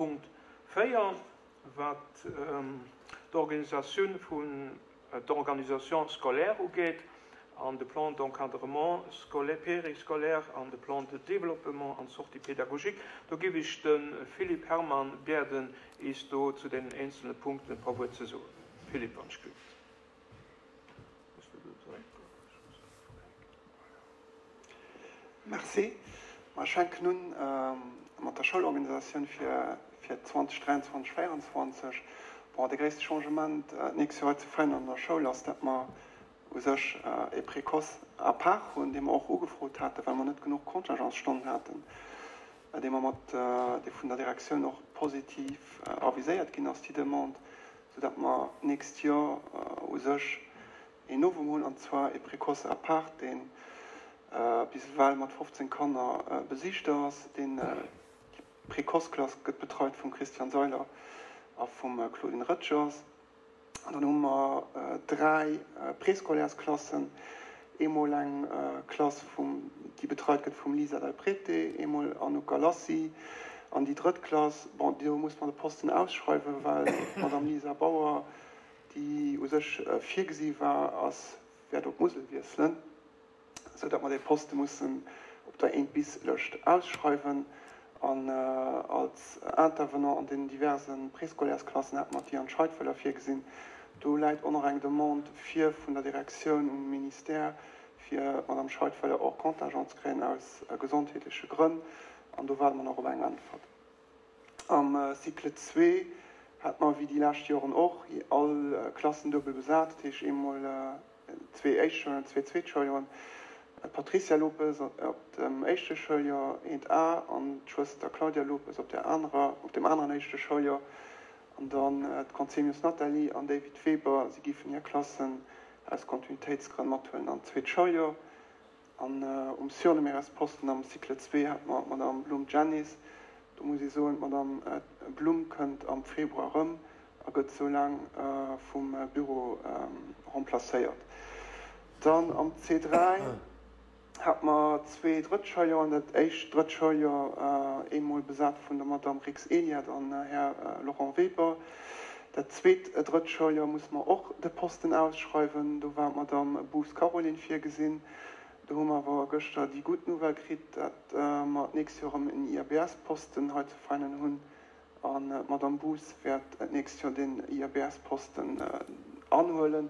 Punkt 4, wat d'Organisatioun vun d'Organisation scolaire ugeet an de Plan d'encadrement scolaire, périscolaire an de Plan de développement an d'Sortie pédagogique. Do géif ech de Philippe Herman bieden, eis do zu deenen eenzelne Punkten e paar Wuert ze soen. Philippe, wann ech gelift. Merci. Mer fänken un mat der Schoulorganisatioun fir 2023, 2024. Bon, de gréisste Changement d'nächst Joer hei zu Veianen an der Schoul ass, dat mer u sech e Précoce à part hunn, dee mer och ugefrot haten, well mer net genuch Contingentsstonnen haten, dee mer mat, dee vun der Direktioun och positiv aviséiert ginn ass, déi Demande, soudatt mer d'nächst Joer u sech een Novum hunn, an zwar e Précoce à part, dee bis ewell mat 15 Kanner besicht ass. Deen, déi Précoce-Klass gëtt betreit vum Christian Seiler a vum Claudine Röttgers. An dann hu mer 3 Préscolaires-Klassen, eemol eng Klass vum, déi betreit gëtt vum Lisa Del Prete, eemol Anouk Galassi an déi drëtt Klass, bon, do muss mer de Posten ausschreiwen, well d'Madame Lisa Bauer, déi u sech virgesi war, ass, wäert op d'Musel wiesselen, sou datt mer dee Poste mussen op der Eent-bis-Lëscht ausschreiwen. An als Intervenant an deenen diverse Préscolaires-Klassen hate mer d'Diane Scheidwöller virgesinn. Do läit och nach eng Demande vir vun der Direktioun um Ministère, fir d'Madame Scheidwöller hors contingent ze kréien aus gesondheetleche Grënn. An do waarde mer nach op eng Äntwert. Am Cycle zwee hat mer, wéi déi lescht Joren och, all Klassen duebel besat, dat heescht eemol zwee Éischtschoulen an zwee Zweetschouljoren. D'Patricia Lopes op dem éischte Schouljoer, eent A, an d'Schwëster Claudia Lopes op der anerer, op dem aneren éischte Schouljoer. An dann d'Conzemius Nathalie an David Weber, si géifen hir Klassen aus Kontinuitéitsgrënn mathuelen an d'zweet Schouljoer. An um Surnuméraires-Posten am Cycle zwee hat mer d'Madame Blum Janice. Do muss ee soen, d'Madame Blum kënnt am Februar erëm a gëtt sou laang vum Büro remplacéiert. Dann am C3 hat mer zwee Drëttschouljouer, dat éischt Drëttschouljouer eemol besat vun der Madame Rix Eliade an Här Laurent Weber. Dat zweet Drëttschouljouer musse mer och de Posten ausschreiwen. Do war d'Madame Boos Caroline virgesinn. Do hu mer awer gëschter déi gutt Nouvelle kritt, dat mer d'nächst Joer erëm en IABS-Posten hei zu Veinen hunn. An d'Madame Boos wäert d'nächst Joer deen IABS-Posten anhuelen,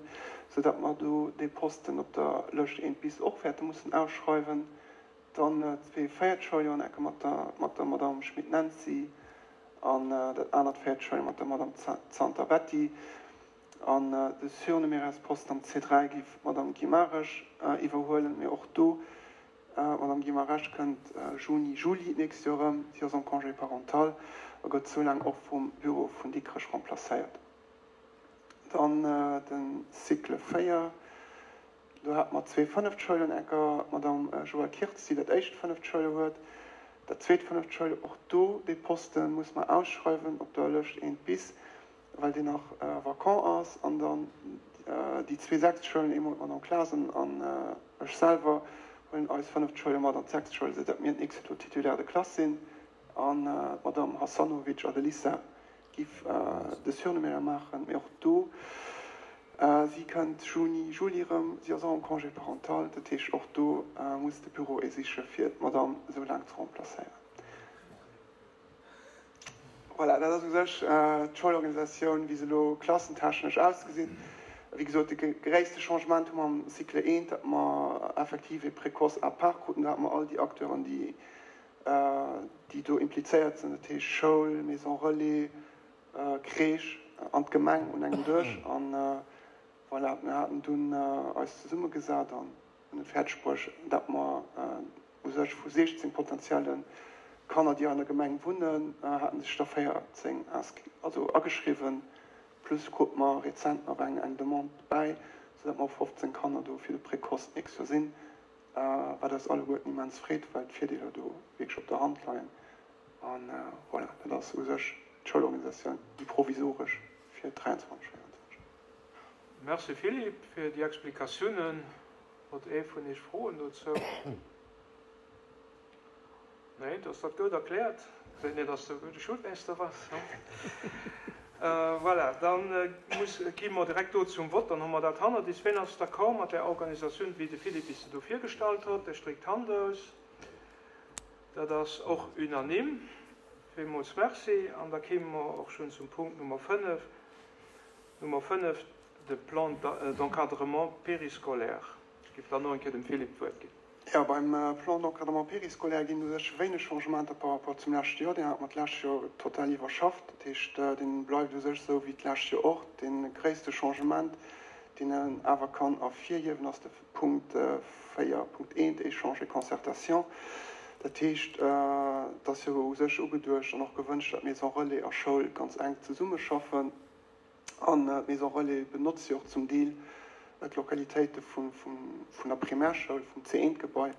soudatt mer do dee Posten op der Lëscht eent bis och wäerte mussen ausschreiwen. Dann zwee Véiertschouljouer enke mat der Madame Schmit Nancy an dat anert Véiertschouljouer mat der Madame Zanter Betty. An de Surnuméraires-Posten am C3 géif d'Madame Guimarães iwwerhuelen. Mee och do, d'Madame Guimarães kënnt Juni, Juli d'nächst Joer erëm. Si ass am Congé parental a gëtt soulaang och vum Büro vun Dikrech remplacéiert. Dann de Cycle 4. Do hate mer zwee Fënneftschoulenecker, d'Madame Joëlle Kirtz, déi dat éischt Fënneftschouler huet, dat zweet Fënneftschouler. Och do, dee Poste muss mer ausschreiwen op der Lëscht eent bis, well deen nach vacant ass. An dann déi zwee Sechstschoulen, eemol d'Madame Clasen an ech selwer, huelen eis Fënneftschouler mat an d'Sechstschoul, esou datt mir d'nächst Joer do Titulaire de classe sinn an d'Madame Hasanovic Adelissa Giff de Surnuméraire maachen, mee och do, si kënnt Juni, Juli erëm, si ass och am Congé parental, dat heescht och do muss de Büro ee siche fir d'Madame esou laang ze remplacéieren. Voilà, dat ass u sech d'Schoulorganisatioun, wéi se elo klassentechnesch ausgesinn. Wéi gesot, de gréisste Changement hu mer am Cycle eent, datt mer effektiv ee Précoce à part kruten. Do hate mer all déi Acteuren, déi déi do implizéiert sinn, dat heescht Schoul, Maison relais, Crèche an d'Gemeng un engem Dësch. An voilà, mir haten dunn eis zesummegesat an hunn et fäerdeg bruecht, datt mer u sech vu 16 potentielle Kanner, déi an der Gemeng wunnen, haten sech der 14 also ageschriwwen, plus krute mer rezent nach eng Demande dobäi, soudatt mer op 15 Kanner do fir de Précoce d'nächst Joer sinn. Wat eis alleguerten immens freet, well d'Virdeeler do wierklech op der Hand leien. A voilà, dat ass u sech d'Schoulorganisatioun, déi provisoresch fir 23, 24. Merci Philippe fir déi Explikatiounen. Huet ee vun Iech Froen dozou? Nee, da ass dat goud erkläert. Seet net, dass de e gudde Schoulmeeschter bass. Voilà, da muss, gi mer direkt do zum Vott, dann hu mer dat hannert is. Ween ass d'accord mat där Organisatioun, wéi de Philippe is se do virgestallt huet? Dee stréckt d'Hand aus. Dat ass och unanime. Villmools Merci. An da kéime mer och schonn zum Punkt Nummer 5, Nummer 5, de Plan d'encadrement périscolaire. Ech géif dann nach eng Kéier dem Philippe d'Wuert ginn. Jo, beim Plan d'encadrement périscolaire ginn u sech wéineg Changementer par rapport zum leschte Joer. Deen hate mer d'lescht Joer total iwwerschafft. Dat heescht, dee bleift u sech esou wéi d'lescht Joer och. Dee gréisste Changement, deen een awer kann ervirhiewen, ass de Punkt 4.1, Échange et concertation. Dat heescht, et ass jo u sech ugeduecht an och gewënscht, datt Maison relais a Schoul ganz enk zesummeschaffen. An d'Maison relais benotzt jo och zum Deel d'Lokalitéite vun der Primärschoul, vum C1-Gebai,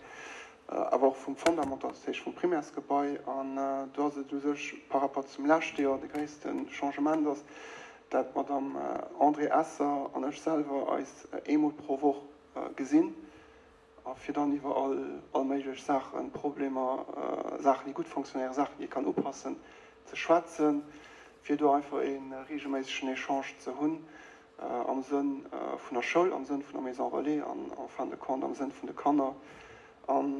awer och vum Fondamental, dat heescht vum Primärsgebai. An do ass et u sech par rapport zum leschte Joer, de gréisste Changement ass, dat d'Madame Andrée Esser an ech selwer eis eemol pro Woch gesinn A fir dann iwwer all all méiglech Saachen, Problemer, Saachen, déi gutt fonctionnéieren, Saachen, déi ee kann upassen, ze schwätzen, fir do einfach ee reegelméissegen Echange ze hunn am Sënn vun der Schoul, am Sënn vun der Maison Relais an en fin de compte am Sënn vun de Kanner. An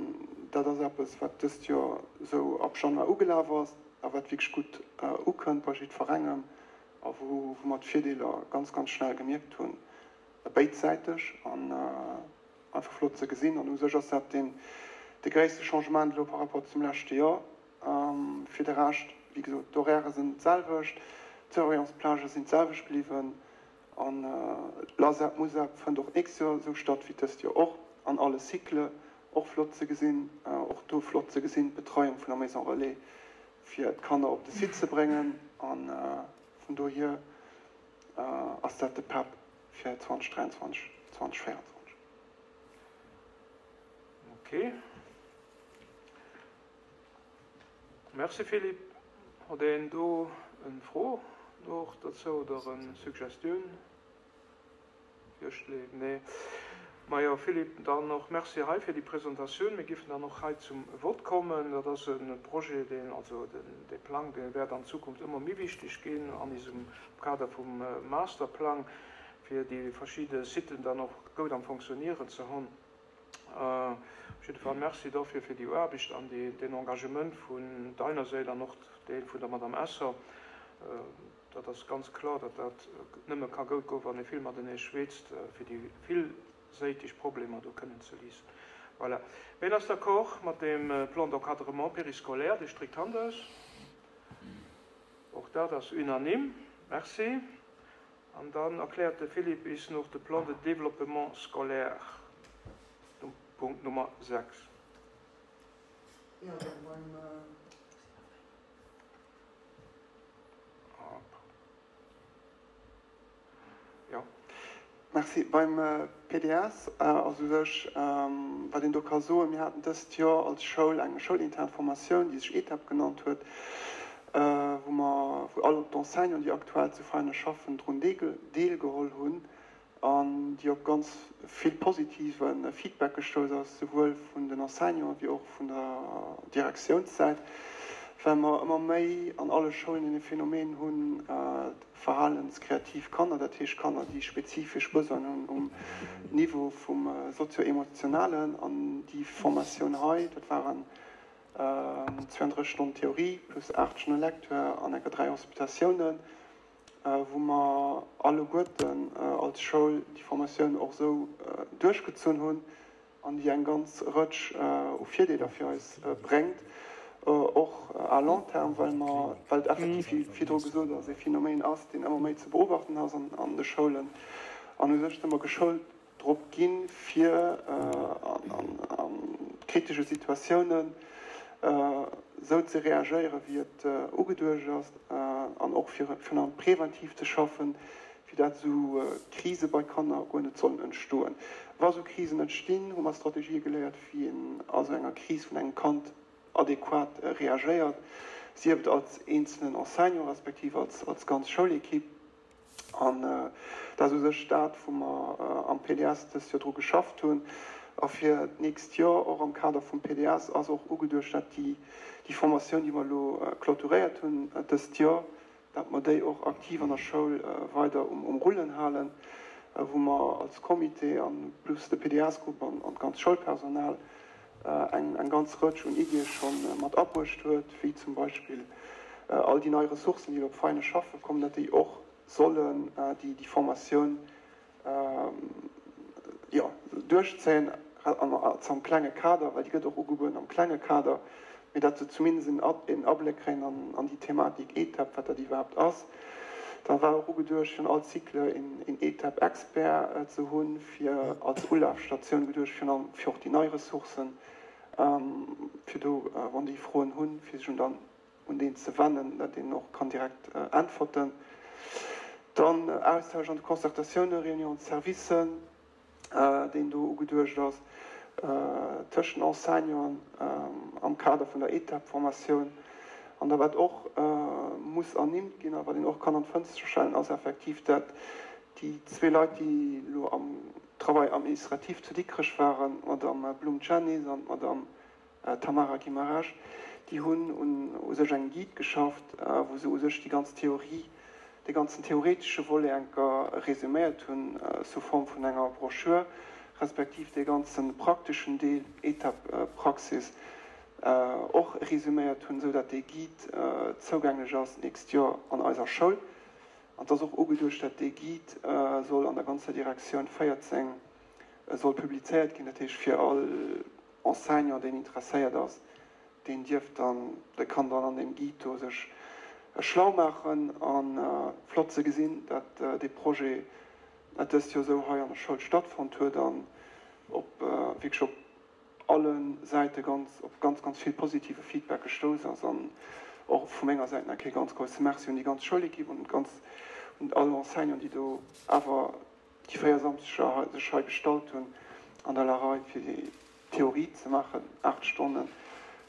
dat ass eppes, wat dëst Joer esou ab Januar ugelaf ass a wat wierklech gutt ukënnt bei jiddwerengem a wou mer d'Virdeeler ganz, ganz schnell gemierkt hunn, béidsäiteg. An Einfach flott ze gesinn an u sech ass dat deen de gréisste Changement elo par rapport zum leschte Joer. Fir de Rescht, wéi gesot, d'Horairë sinn d'selwecht, d'Surveillance-Plagë sinn d'selwecht bliwwen an l'ASEP, MUSEP fënnt och d'nächst Joer esou statt wéi dëst Joer och an alle Cycle. Och flott ze gesinn, och do flott ze gesinn d'Betreiung vun der Maison Relais fir d'Kanner op de Site ze bréngen an vun dohier ass dat de PEP. Fir 2023, 2024. Ok. Merci Philippe. Huet een do en Fro och dozou oder en Suggestioun? Virschléi? Nee. Majo Philippe, dann och Merci hei fir déi Presentatioun. Mir giffen dann och hei zum Vott kommen. Dat ass e Projet, deen, also dee Plang, dee wäert an Zukunft ëmmer méi wichteg ginn an isem Kader vum Masterplang, fir déi verschidde Siten dann och goud am Fonctionnieren ze hunn. Op jidde Fall Merci dofir fir déi Aarbecht an deen Engagement vun deiner Séit an och dee vun der Madame Esser. Dat ass ganz kloer, datt dat nëmme ka goud goen, wann ee vill matenee schwätzt, fir déi villséiteg Problemer do kënnen ze léisen. Voilà. Ween ass d'accord mat deem Plan d'encadrement périscolaire? Dee stréckt d'Hand aus. Och dat ass unanime. Merci. An dann erkläert de Philippe is noch de Plan de développement scolaire, Punkt Nummer 6. Jo, dann beim. Jo. Merci. Beim PDS ass u sech, wat een do ka soen, mir haten dëst Joer als Schoul eng schoulintern Formatioun, déi sech ETAP genannt huet, wou mer, wou all d'Enseignanten, déi aktuell zu Veiner schaffen, drun deelgeholl hunn an déi op ganz vill positive Feedback gestouss ass, souwuel vun den Enseignanten wéi och vun der Direktiounssäit, well mer ëmmer méi an alle Schoulen e Phänomen hunn, verhalenskreativ Kanner, dat heescht Kanner, déi spezifesch Besoinen hunn um Niveau vum sozio-emotionalen. An déi Formatioun hei, dat waren 32 Stonnen Theorie plus 8 Stonne Lecture an enker 3 Hospitatiounen, wou mer alleguerten als Schoul déi Formatioun och esou duerchgezunn hunn an déi eng ganz Rëtsch u Virdeeler fir eis bréngt, och à long terme, well mer, well et effektiv, wéi virdru gesot ass, e Phänomen ass, deen ëmmer méi ze beobachten ass an de Schoulen. An u sech si mer geschoult drop ginn, fir a kritesche Situatiounen esou ze reagéieren, wéi et ugeduecht ass, an och fir virun allem preventiv ze schaffen, fir dat esou Krise bei Kanner guer net sollen entstoen. Wa esou Krisen entstinn, hu mer Strategië geléiert, wéi een a sou enger Kris vun engem Kand adequat reagéiert, sief et als eenzelen Enseignant respektiv als als ganz Schoulequipe. An dat ass u sech dat, wou mer am PDS dëst Joer dru geschafft hunn. A fir d'nächst Joer, och am Kader vum PDS, ass och ugeduecht, dat déi Formatioun, déi mer elo clôturéiert hunn dëst Joer, dat mer déi och aktiv an der Schoul weider um Rullen halen, wou mer als Comité an plus de PDS-Grupp an d'ganz Schoulpersonal eng ganz Rëtsch un Iddie scho mat abruecht huet, wéi zum Beispill all déi nei Ressourcen, déi elo op Veinen schaffe kommen, datt déi och sollen déi Formatioun jo, duerchzéien, am klenge Kader, well déi gëtt och ugebueden am klenge Kader, mee datt se zumindest en Abléck kréien an déi Thematik ETAP, wat dat iwwerhaapt ass. Da war och ugeduecht, fir an all Cycle een ETAP-Expert ze hunn, fir als Ulafstatioun geduecht, virun allem fir och déi nei Ressourcen, fir do, wann déi Froen hunn, fir sech un dann un deen ze wennen, datt een och kann direkt äntwerten. Dann Austausch an de Concertatiounen, Réunion de services, deen do ugeduecht ass tëschent Enseignanten am Kader vun der ETAP-Formatioun. An da wat och muss ernimmt ginn a wat een och kann an d'Fënster stellen, ass effektiv, dat déi zwee Leit, déi elo am Travail administratif zu Dikrech waren, d'Madame Blum-Janice an d'Madame D'Tamara Guimaraes, déi hunn un u sech engem Guide geschafft, wou se u sech déi ganz Theorie, dee ganzen theoretesche Volet enker resuméiert hunn sous forme vun enger Broschür, respektiv dee ganze prakteschen Deel, Etape Praxis, och resuméiert hunn, esou dat dee Guide zougänglech ass d'nächst Joer an eiser Schoul. An et ass och ugeduecht, dat dee Guide soll an der ganzer Direktioun 14 soll publizéiert ginn, dat heescht fir all Enseignant, deen interesséiert ass, deen dierf dann, dee kann dann an deem Guide do sech schlau maachen. A flott ze gesinn, dat dee Projet dëst Joer esou hei an der Schoul stattfonnt huet an op wierklech op alle Säite ganz, op ganz, ganz vill positive Feedback gestouss ass. An och vu menger Säit nach ee ganz grousse Merci un déi ganz Schoulequipe an ganz un all Enseignant, déi do awer déi 4 Samschdeger sech hei gestallt hunn an der Larei fir déi Theorie ze maachen, 8 Stonne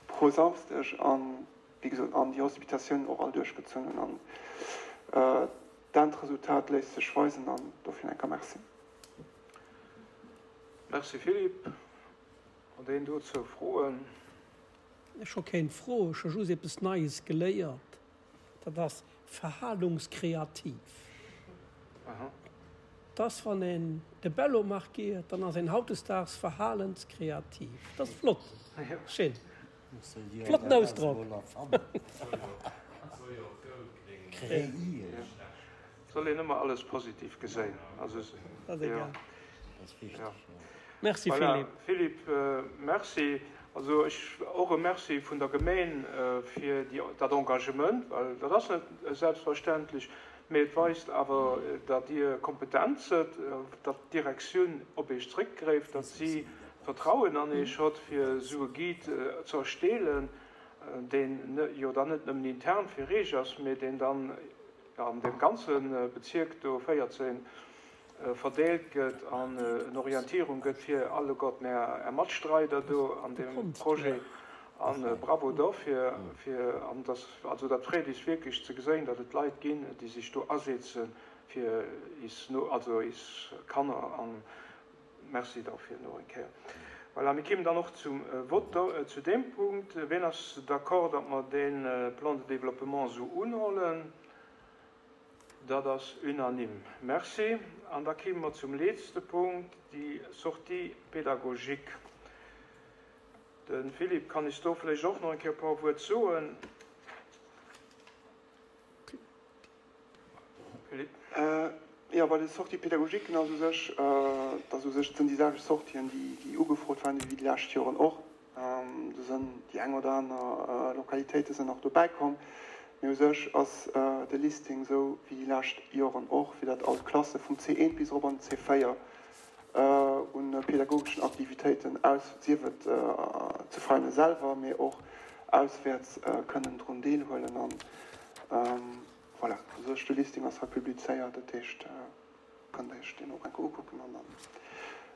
pro Samsdeg an wéi gesot an déi Hospitatiounen och all duerchgezunn hunn an d'Endresultat léisst sech weisen an dofir enker Merci. Merci Philippe. Huet een dozou Froen? Ech hu keng Fro, ech hu just eppes Neies geléiert. Dat ass verhalungskreativ. Dat ass, wann een de Bello markiert, dann ass een hautdesdaags verhalenskreativ. Dat ass flott, schéin, flotten Ausdrock. Soll een ëmmer alles positiv geséin. Dat ass egal. Merci Philippe. Philippe, Merci. Also ech och e Merci vun der Gemeen fir dat Engagement, well dat ass net selbstverständlech, mee et weist awer, datt Dir kompetent sëtt, datt d'Direktioun op Iech zréckgräift, datt si Vertrauen an Iech hott, fir esou e Guide ze ersteelen, deen jo dann net nëmmen intern fir Eech ass, mee deen dann an deem ganze Bezierk do 14 verdeelt gëtt an en Orientierung gëtt fir alleguerten Är Matstreider do an deem Projet. A bravo dofir. Fir, an dass, also dat freet is wierklech ze geséien, datt et Leit ginn, déi sech do asetzen fir is, also is Kanner. A Merci dofir nach eng Kéier. Voilà, mir kéimen dann och zum Vote zu deem Punkt. Wien ass d'accord, datt mer dee Plan de développement esou unhollen? Dat ass unanime. Merci. An da kéime mer zum letzte Punkt, déi Sortie pédagogique. De Philippe kann is do vläicht och nach eng Kéier e puer Wuert soen. Philippe. Jo, bei de Sorties pédagogiques ass u sech, dat ass u sech, dat sinn déi selwecht Sortien, déi ugefrot waren, wéi déi lescht Joren och. Do sinn déi eng oder aner Lokalitéite sinn nach dobäi komm. Mee u sech ass de Listing esou wéi déi lescht Joren och, fir datt all d'Klasse vum C1 bis erop an den C4 u pedagogeschen Aktivitéiten aus, sief et zu Veinen selwer, mee och auswäerts kënnen drun deelhuelen. An voilà, u sech de Listing ass hei publizéiert, dat heescht, Kënnt Iech deen och eng Kéier ukucken an dann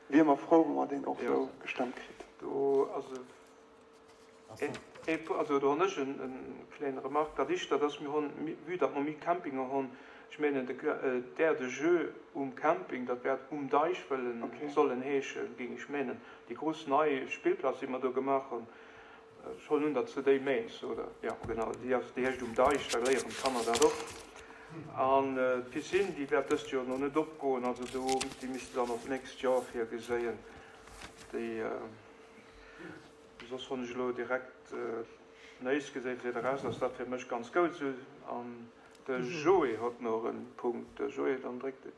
wier mer frou, wa mer deen och esou gestëmmt kritt. Do ass e. Ee, also do hunn ech en kléine Remarque. Dat éischt, dat ass, mir hunn, vue datt mer méi Campinger hunn, ech mengen de d'Aire de jeu um Camping, dat wäert Um Deich wëllen, sollen heeschen, géing ech menen. Déi grouss nei Spillplaz, déi mer do gemaach hunn, ech huelen un, datt s de déi mengs, oder? Jo, genau, déi ass, déi heescht Um Deich, da léieren d'Kanner dat och. An d'Piscine, déi wäert dëst Joer nach net opgoen, also do, déi misste dann op d'nächst Joer virgeséien, déi. Soss hunn ech elo direkt néis geséi, fir de Rest ass dat fir mech ganz goud esou. An de Joé hott nach en Punkt. De Joé, dann dréck de.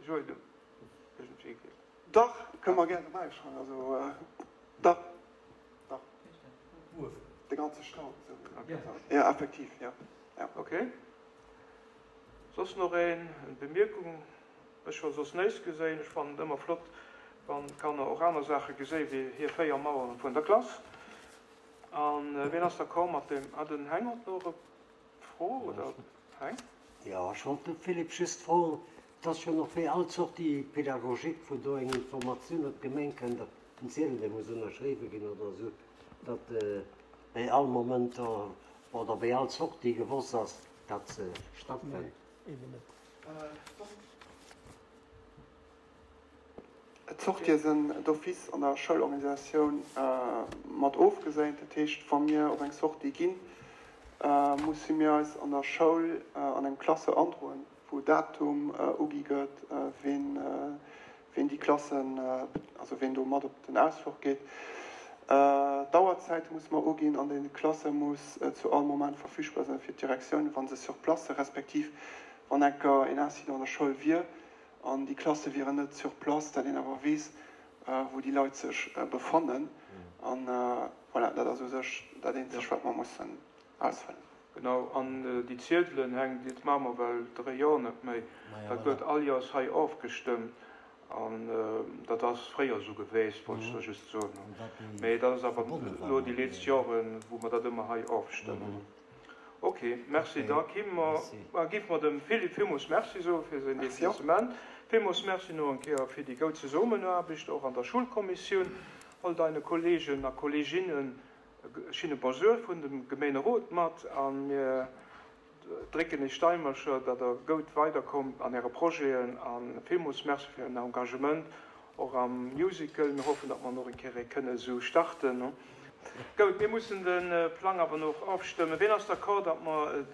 Joé, du iergendwéi geet. Dach, kënne mer gär dobäi schreiwen. Also dach, dach. De ganze Staud esou. Jo, effektiv, jo. Ok. Soss nach een? Eng Bemierkung? Ech hu soss néis geséin. Ech fannen et ëmmer flott, wann d'Kanner och aner Saache geséi wéi hir 4 Maueren vun der Klass. An wien ass d'accord mat deem? Ah, den Heng hott nach e Fro, oder Heng? Jo, ech wollt de Philippe just froen, et ass jo nach wéi all Sortie pédagogique, wou do eng Informatioun op d'Gemeng kënnt, en Ziedel dee muss ënnerschriwwe ginn oder esou, datt bei all Moment oder bei all Sortie gewosst ass, datt se stattfënnt. Nee, eben net. D'Sortië sinn d'office an der Schoulorganisatioun mat ofgeséint. Dat heescht, wa mir op eng Sortie ginn, musse mir eis an der Schoul an engem Classeur androen, wou Datum ugi gëtt, ween ween déi Klassen, also ween do mat op den Ausfluch geet. D'Auerzäite musse mer uginn an dee Classeur muss zu all Moment verfügbar sinn fir d'Direktioun, wa se sur place sinn, respektiv wann enker een Incident an der Schoul wier an déi Klasse wieren net sur place, dat een awer weess, wou déi Leit sech befannen. An voilà, dat ass u sech dat eenzegt, wat mer mussen ausfëllen. Genau, an déi Ziedelen hänken, dat maache mer well 3 Joer net méi, dat gëtt all Joers hei ofgestëmmt an dat ass fréier esou geweest, wollt ech da just soen. Mee dat ass awer elo déi leetzt Joren, wou mer dat ëmmer hei ofstëmmen. Ok, merci. Da gi mer, géife mer dem Philippe villmools Merci soe fir säin Deplacement. Villmools Merci no eng Kéier fir déi goud Zesummenaarbecht och an der Schulkommissioun, all deine Kollegen a Kolleginnen E schinne Bonjour vun dem Gemeenerot mat a mir drécken Iech d'Daimercher, datt der goud weiderkommt an Äre Projeten a villmools Merci fir Ären Engagement och am Musical. Mir hoffen, datt mer en och eng Kéier kënne esou starten. Goud, mir mussen de Plang awer nach ofstëmmen. Ween ass d'accord, datt mer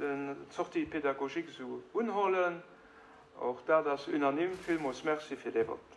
d'Sortie pédagogique esou unhollen? Och dat ass unanime. Villmools Merci fir dee Vott.